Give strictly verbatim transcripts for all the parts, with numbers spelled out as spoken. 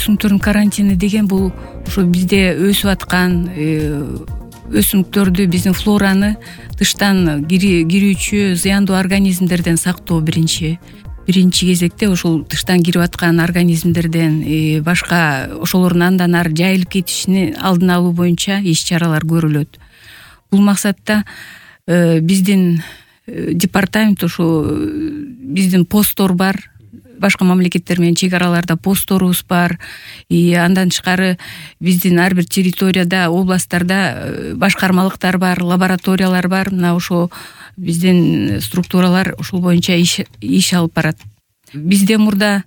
өсүмдүктөрдүн карантини деген бул ошо бизде өсүп аткан өсүмдүктөрдү, биздин флораны тыштан кирүүчү зыяндуу организмдерден сактоо биринчи биринчи кезекте ошол тыштан кирип аткан организмдерден башка ошолордун андан ары жайылып кетишини алдын алуу боюнча иш чаралар көрүлөт. Бул максатта биздин департамент ошо биздин посттор бар, башка мамлекеттер менен чек араларда постторубуз бар. Андан тышкары биздин ар бир территорияда, областтарда башкармалыктар бар, лабораториялар бар. Мына ошо биздин структуралар ошол боюнча иш иш алып барат. Бизде мурда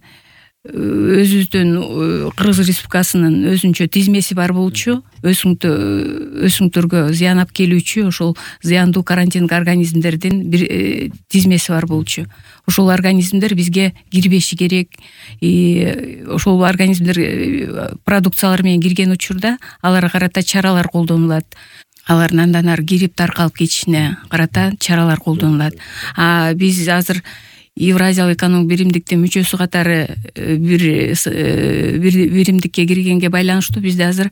өзүбүздүн Кыргыз Республикасынын өзүнчө тизмеси бар болчу. Өсүмдүктөргө зыян алып келүүчү ошол зыяндуу карантиндик организмдердин бир тизмеси бар болчу. Ошол организмдер бизге кирбеши керек. Ошол организмдер продукциялар менен кирген учурда аларга карата чаралар колдонулат. Алардын андан ары кирип таркалып кетишине карата чаралар колдонулат. А биз азыр Евразиялык экономикалык биримдиктин мүчөсү катары бир биримдикке киргенге байланыштуу бизде азыр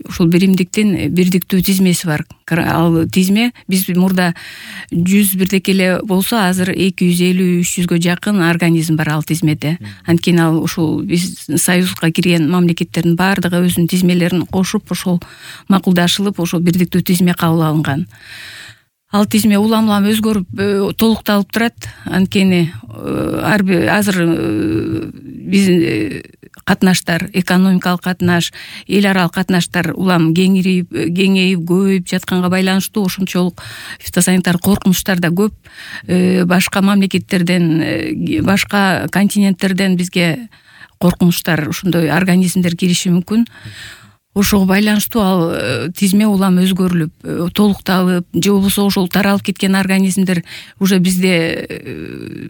ушул биримдиктин бирдиктүү тизмеси бар. Ал тизме биз мурда жүз бирдеки эле болсо, азыр эки жүз элүү үч жүзгө жакын организм бар ал тизмеде. Анткени ал ушул биз союзга кирген мамлекеттердин баардыгы өзүнүн тизмелерин кошуп, ошол макулдашылып, ошол бирдиктүү тизме кабыл алынган. Ал тизме улам улам өзгөрүп, толукталып турат. Анткени ар бир азыр биздин катнаштар, экономикалык катнаш, эл аралык катнаштар улам кеңирип, кеңейип, көбөйүп жатканга байланыштуу ошончолук фитосанитар коркунучтар да көп. Башка мамлекеттерден, башка континенттерден бизге коркунучтар, ошондой организмдер кириши мүмкүн. Ошого байланыштуу ал тизме улам өзгөрүлүп, толукталып, же болбосо ошол таралып кеткен организмдер уже бизде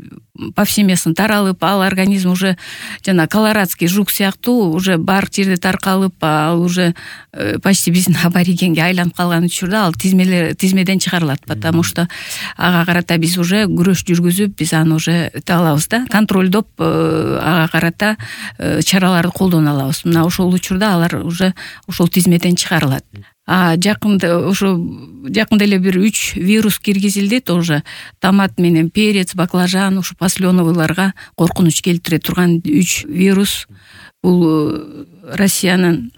повсеместно таралып, ал организм уже жана колорадский жук сыяктуу уже бар жерде таркалып, ал уже почти биздин аборигенге айланып калган учурда ал тизмелер тизмеден чыгарылат, потому что ага карата биз уже күрөш жүргүзүп, биз аны уже алабыз да, контролдоп, ага карата чараларды колдоно алабыз. Мына ошол учурда алар уже ошол тизмеден чыгарылат. А жакында ошо жакында эле бир үч вирус киргизилди, тоже томат менен перец, баклажан, ошо посленовыйларга коркунуч келтире турган үч вирус. Бул Россиянын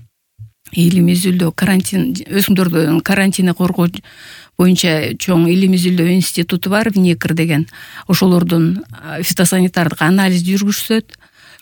илим изилдөө карантин өсүмдүктөрдүн карантини коргоо боюнча чоң илим изилдөө институту бар, Винекр деген. Ошолордун фитосанитардык анализ жүргүзүшөт.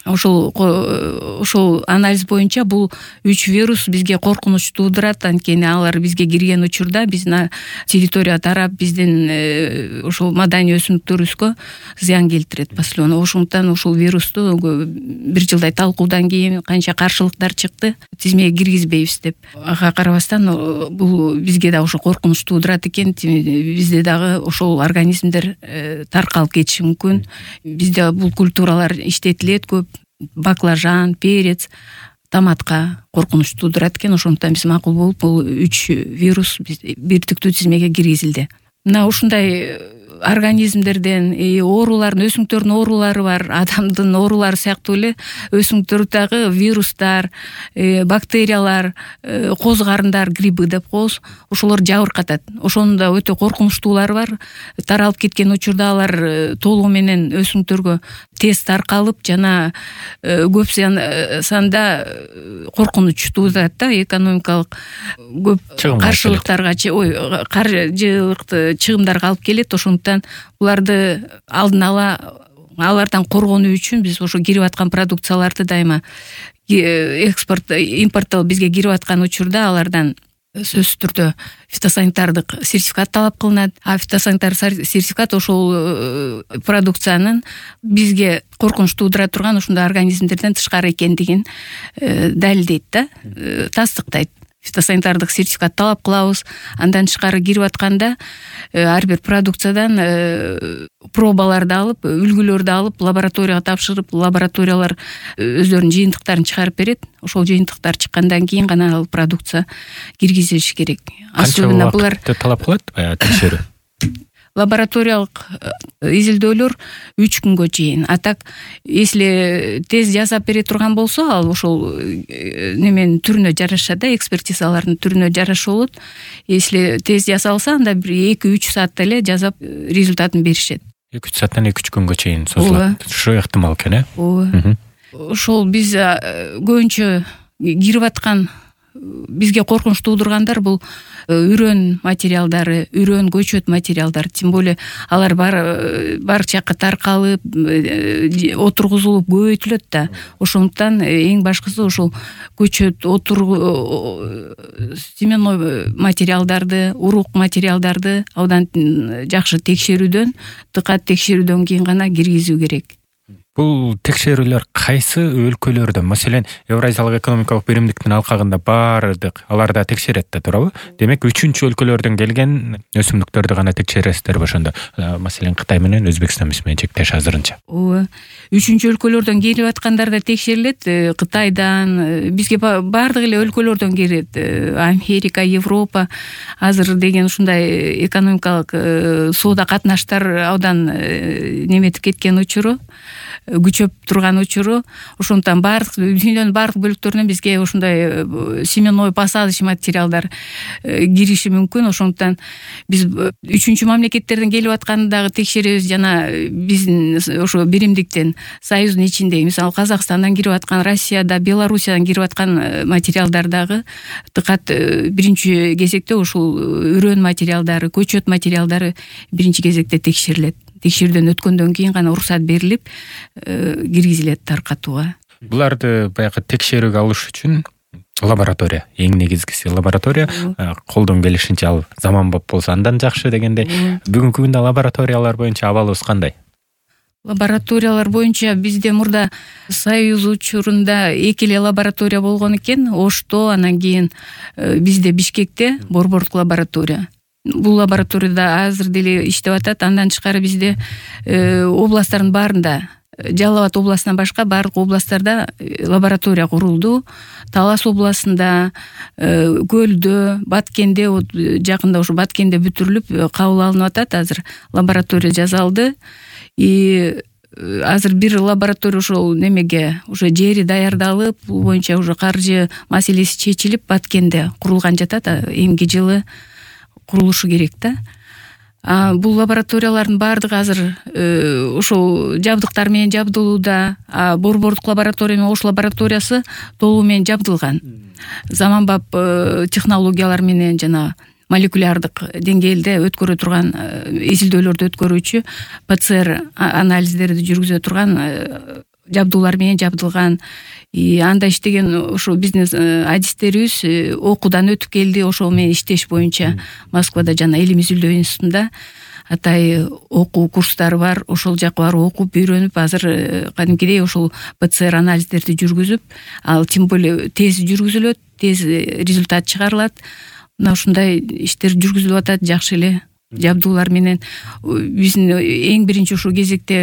Ошол ошол анализ боюнча бул үч вирус бизге коркунуч туудурат. Анткени алар бизге кирген учурда биздин территория тарап, биздин ошол маданий өсүмдүктөрүбүзгө зыян келтирет послено. Ошондуктан ушул вирусту бир жылдай талкуудан кийин канча каршылыктар чыкты, тизмеге киргизбейбиз деп. Ага карабастан бул бизге да ошо коркунуч туудурат экен. Бизде дагы ошол организмдер таркалып кетиши мүмкүн. Бизде бул культуралар иштетилет көп. Баклажан, перец, томатка коркунуч туудурат экен. Ошондуктан биз макул болуп, бул үч вирус бирдиктүү тизмеге киргизилди. Мына ушундай организмдерден оорулардын, өсүмдүктөрдүн оорулары бар, адамдын оорулары сыяктуу эле өсүмдүктөрдөгү вирустар, бактериялар, коз карындар, грибы деп коебуз, ошолор жабыркатат. Ошонун да өтө коркунучтуулары бар. Таралып кеткен учурда алар толугу менен өсүмдүктөргө тез таркалып, жана көп санда коркунуч туудурат да, экономикалык көп каршылыктарга, ой, каржылык чыгымдарга алып келет. Ошондуктан буларды алдын ала алардан коргонуу үчүн биз ошо кирип аткан продукцияларды дайыма экспорт, импорттолуп бизге кирип аткан учурда алардан сөзсүз түрдө фитосанитардык сертификат талап кылынат. А фитосанитар сертификат ошол продукциянын бизге коркунуч туудура турган ушундай организмдерден тышкары экендигин далилдейт да, тастыктайт. Фитосанитардык сертификат талап кылабыз. Андан тышкары кирип атканда ар бир продукциядан пробаларды алып, үлгүлөрдү алып, лабораторияга тапшырып, лабораториялар өздөрүнүн жыйынтыктарын чыгарып берет. Ошол жыйынтыктар чыккандан кийин гана ал продукция киргизилиши керек. Особенно булар талап кылат текшерүү. лабораториялык изилдөөлөр үч күнгө чейин. А так если тез жасап бере турган болсо, ал ошол неменин түрүнө жараша да, экспертизалардын түрүнө жараша болот. Если тез жасалса, анда бир эки үч саатта эле жасап результатын беришет. эки үч сааттан эки үч күнгө чейин созулат. Ушу ыктымал экен, э? Ооба. Ошол биз көбүнчө кирип аткан, бизге коркунуч туудургандар бул үрөн материалдары, үрөн көчөт материалдары, тем более алар бар бар жакка таркалып, отургузулуп көбөйтүлөт да. Ошондуктан эң башкысы ошол көчөт, отургу, семенной материалдарды, урук материалдарды абдан жакшы текшерүүдөн, дыкат текшерүүдөн кийин гана киргизүү керек. Бул текшерүүлөр кайсы өлкөлөрдө, маселен, Евразиялык экономикалык биримдиктин алкагында бардык аларда текшерет да, туурабы? Демек, үчүнчү өлкөлөрдөн келген өсүмдүктөрдү гана текшересиздерби ошондо? Маселен, Кытай менен Өзбекстан менен чектеш азырынча. Ооба. Үчүнчү өлкөлөрдөн келип аткандар да текшерилет. Кытайдан, бизге бардык эле өлкөлөрдөн келет. Америка, Европа, азыр деген ушундай экономикалык соода катнаштар абдан неметип кеткен учуру, күчөп турган учуру. Ошондуктан бардык дүйнөнүн бардык бөлүктөрүнөн бизге ошондой семенной посадочный материалдар кириши мүмкүн. Ошондуктан биз үчүнчү мамлекеттерден келип атканды дагы текшеребиз. Жана биздин ошо биримдиктен, союздун ичинде, мисалы Казакстандан кирип аткан, Россияда, Белоруссиядан кирип аткан материалдар дагы дыкат биринчи кезекте ушул үрөн материалдары, көчөт материалдары биринчи кезекте текшерилет. Текшерүүдөн өткөндөн кийин гана уруксат берилип, киргизилет таркатууга. Буларды баягы текшерүүгө алыш үчүн лаборатория, эң негизгиси лаборатория, колдон келишинче ал заманбап болсо андан жакшы дегенде. Бүгүнкү күндө лабораториялар боюнча абалыбыз кандай? Лабораториялар боюнча бизде мурда Союз учурунда эки эле лаборатория болгон экен. Ошто, анан кийин бизде Бишкекте борбордук лаборатория. Бул лабораторияда азыр деле иштеп атат. Андан тышкары бизде областтардын баарында, Жалал Абад областынан башка бардык областтарда лаборатория курулду. Талас областында, Көлдө, Баткенде, жакында ушу Баткенде бүтүрүлүп кабыл алынып атат. Азыр лаборатория жасалды. И азыр бир лаборатория ошол немеге уже жери даярдалып, бул боюнча уже каржы маселеси чечилип Баткенде курулган жатат. Эмки жылы курулушу керек да. А бул лабораториялардын бардыгы азыр ошол жабдыктар менен жабдылууда. А борбордук лаборатория менен ош лабораториясы толугу менен жабдылган. Заманбап технологиялар менен жана молекулярдык деңгээлде өткөрө турган, изилдөөлөрдү өткөрүүчү ПЦР анализдерди жүргүзө турган жабдуулар менен жабдылган. И анда иштеген ошо биздин адистерибиз окуудан өтүп келди. Ошол менен иштеш боюнча Москвада жана Илим изилдөө институтунда атай окуу курстары бар. Ошол жакка барып окуп, үйрөнүп, азыр кадимкидей ошол ПЦР анализдерди жүргүзүп, ал тем более тез жүргүзүлөт, тез результат чыгарылат. Мына ушундай иштер жүргүзүлүп атат жакшы эле жабдуулар менен. Биздин эң биринчи ушул кезекте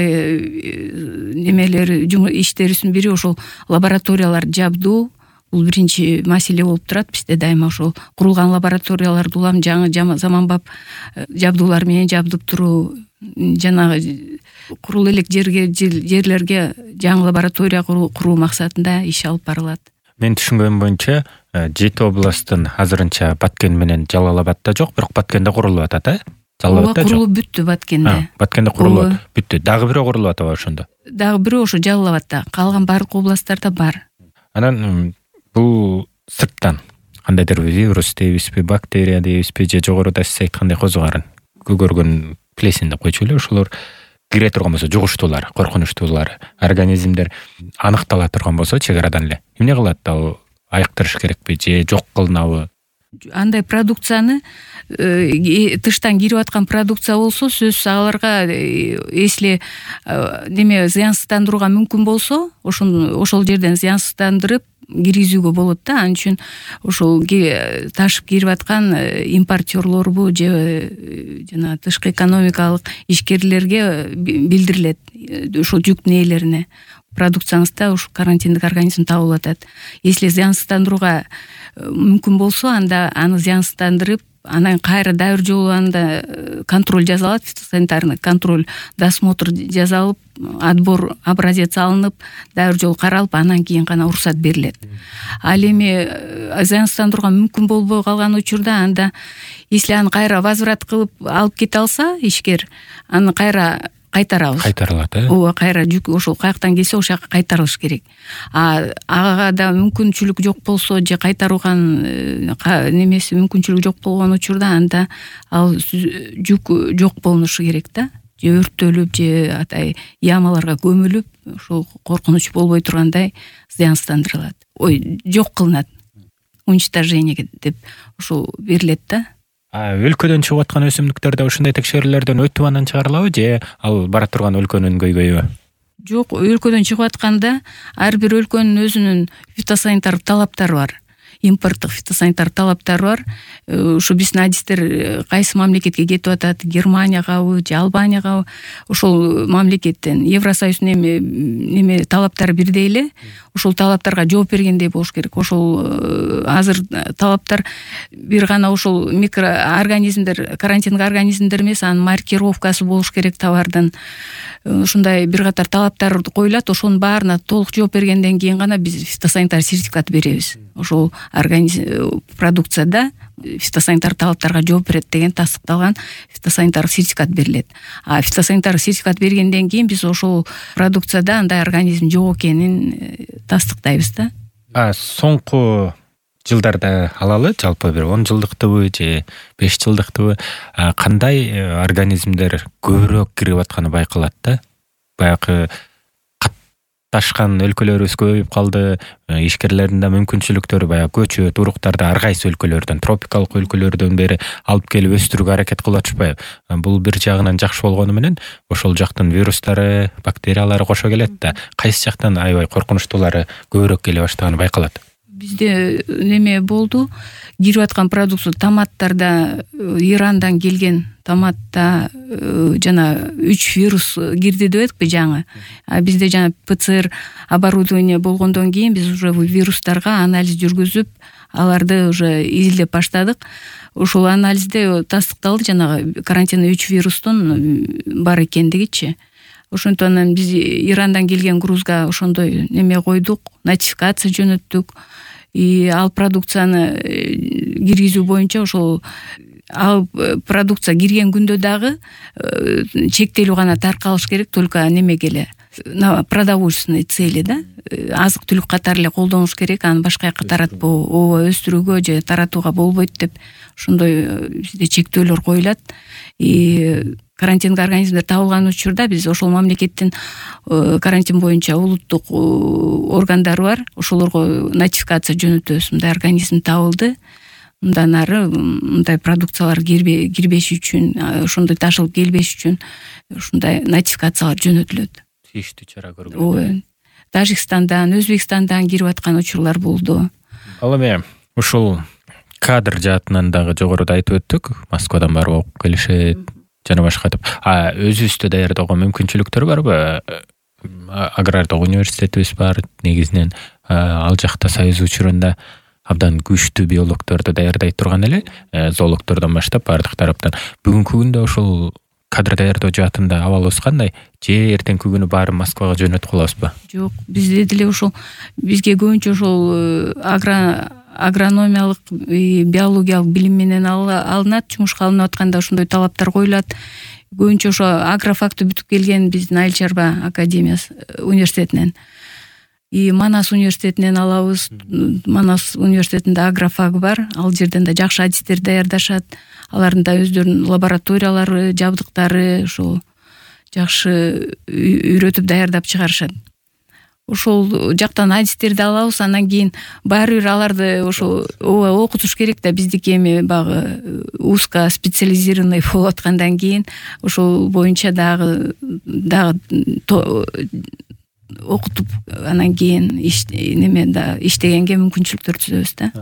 немелер иштерибиздин бири ошол лабораториялар жабдуу. Бул биринчи маселе болуп турат бизде дайыма. Ошол курулган лабораторияларды улам жаңы заманбап жабдуулар менен жабдып туруу, жанагы курул элек жерге жерлерге жаңы лаборатория куруу максатында иш алып барылат. Мен түшүнгөнүм боюнча жети областтын азырынча Баткен менен Жалал Абадда жок, бирок Баткенде курулуп атат, э? Жалал Абадда курулуп бүттү Баткенде. Баткенде курулуп бүттү. Дагы бирөө курулуп атабы ошондо? Дагы бирөө ошо Жалал Абадда. Калган бардык областтарда бар. Анан бул сырттан кандайдыр вирус дейбизби, бактерия дейбизби, же жогоруда сиз айткандай козугарын көгөргөн плесень деп койчу эле, ошолор кире турган болсо, жугуштуулар, коркунучтуулар, организмдер аныктала турган болсо чек арадан эле эмне кылат? Ал айыктырыш керекпи же жок кылынабы? Андай продукцияны, тыштан кирип аткан продукция болсо, сөзсүз аларга если неме зыянсыздандырууга мүмкүн болсо, ошол ошол жерден зыянсыздандырып киргизүүгө болот да. Ал үчүн ошол ташып кирип аткан импортерлорбу же жана тышкы экономикалык ишкерлерге билдирилет, ошол жүктүн ээлерине. Продукцияңызда ушу карантиндик организм табылып атат. Если зыянсыздандырууга мүмкүн болсо, анда аны зыянсыздандырып, анан кайра дайыр жолу анда контроль жасалат, фитосанитарный контроль, досмотр жасалып, отбор образец алынып, дайыр жолу каралып, анан кийин гана уруксат берилет. Ал эми зыянсыздандырууга мүмкүн болбой калган учурда анда если аны кайра возврат кылып алып кете алса ишкер, аны кайра кайтарабыз. Кайтарылат, э? Ооба, кайра жүк ошол каяктан келсе ошол жака кайтарылыш керек. А ага да мүмкүнчүлүк жок болсо же кайтарууган немеси мүмкүнчүлүк жок болгон учурда анда ал жүк жок болушу керек да. Же өрттөлүп, же атай ямаларга көмүлүп, ошол коркунуч болбой тургандай зыянсыздандырылат. Ой, жок кылынат. Уничтожение деп ошол берилет да. А өлкөдөн чыгып аткан өсүмдүктөр да ушундай текшерүүлөрдөн өтүп анан чыгарылабы, же ал бара турган өлкөнүн көйгөйүбү? Жок, өлкөдөн чыгып атканда ар бир өлкөнүн өзүнүн фитосанитар талаптары бар. Импорттук фитосанитар талаптары бар. Ушу биздин адистер кайсы мамлекетке кетип атат, Германиягабы же Албаниягабы, ошол мамлекеттен Евросоюздун эми неме талаптары бирдей эле. Ошол талаптарга жооп бергендей болуш керек. Ошол азыр талаптар бир гана ошол микроорганизмдер, карантиндик организмдер эмес, анын маркировкасы болуш керек товардын. Ушундай бир катар талаптар коюлат, ошонун баарына толук жооп бергенден кийин гана биз фитосанитар сертификат беребиз. Ошол организм продукцияда фитосанитар талаптарга жооп берет деген тастыкталган фитосанитар сертификат берилет. А фитосанитар сертификат бергенден кийин биз ошол продукцияда андай организм жок экенин тастыктайбыз да. А соңку жылдарда алалы, жалпы бир он жылдыктыбы же беш жылдыктыбы кандай организмдер көбүрөөк кирип атканы байкалат да? Баягы катташкан өлкөлөрүбүз көбөйүп калды, ишкерлердин да мүмкүнчүлүктөрү баягы көчөт, уруктарды ар кайсы өлкөлөрдөн, тропикалык өлкөлөрдөн бери алып келип өстүрүүгө аракет кылып атышпайбы? Бул бир жагынан жакшы болгону менен ошол жактын вирустары, бактериялары кошо келет да, кайсы жактан аябай коркунучтуулары көбүрөөк келе баштаганы байкалат? Бизде неме болду, кирип аткан продукция томаттарда Ирандан келген томатта жана үч вирус кирди деп эдикпи жаңы. А бизде жана ПЦР оборудование болгондон кийин биз уже вирустарга анализ жүргүзүп, аларды уже изилдеп баштадык. Ошол анализде тастыкталды жанагы карантиндик үч вирустун бар экендигичи. Ошонтон анан биз Ирандан келген грузга ошондой неме койдук, нотификация жөнөттүк. И ал продукцияны киргизүү боюнча ошол ал продукция кирген күндө дагы чектелүү гана таркалыш керек, только немеге эле, на продовольственной цели да, азык түлүк катары эле колдонуш керек, аны башка жакка таратпоо, ооба өстүрүүгө же таратууга болбойт деп ошондой бизде чектөөлөр коюлат. И карантиндик организмдер табылган учурда биз ошол мамлекеттин карантин боюнча улуттук органдары бар, ошолорго нотификация жөнөтөбүз. Мындай организм табылды, мындан ары мындай продукциялар кирбеш үчүн, ошондой ташылып келбеш үчүн ушундай нотификациялар жөнөтүлөт. Тийиштүү чара көргөн. Ооба. Тажикстандан, Өзбекстандан кирип аткан учурлар болду. Ал эми ушул кадр жаатынан дагы жогоруда айтып өттүк, Москвадан барып окуп келишет жана башка деп. А өзүбүздө даярдоого мүмкүнчүлүктөр барбы? Агрардык университетибиз бар, негизинен ал жакта союз учурунда абдан күчтүү биологдорду даярдай турган эле, зоологдордон баштап бардык тараптан. Бүгүнкү күндө ошол кадр даярдоо жаатында абалыбыз кандай? Же эртеңки күнү баары Москвага жөнөтүп калабызбы? Жок, бизде деле ошол бизге көбүнчө ошол агро агрономиялык, биологиялык билим менен алынат, жумушка алынып атканда ошондой талаптар коюлат. Көбүнчө ошо агрофакты бүтүп келген биздин Айыл чарба академиясы университетинен. И Манас университетинен алабыз. Манас университетинде агрофаг бар. Ал жерден да жакшы адистер даярдашат. Алардын да өздөрүнүн лабораториялары, жабдыктары ошо жакшы үйрөтүп даярдап чыгарышат. Ошол жактан адистерди алабыз, андан кийин баары бир аларды ошо окутуш керек да, биздики эми багы узко специализированный болуп аткандан кийин ошол боюнча дагы дагы окутуп анан кийин неме да иштегенге мүмкүнчүлүктөр түзөбүз да.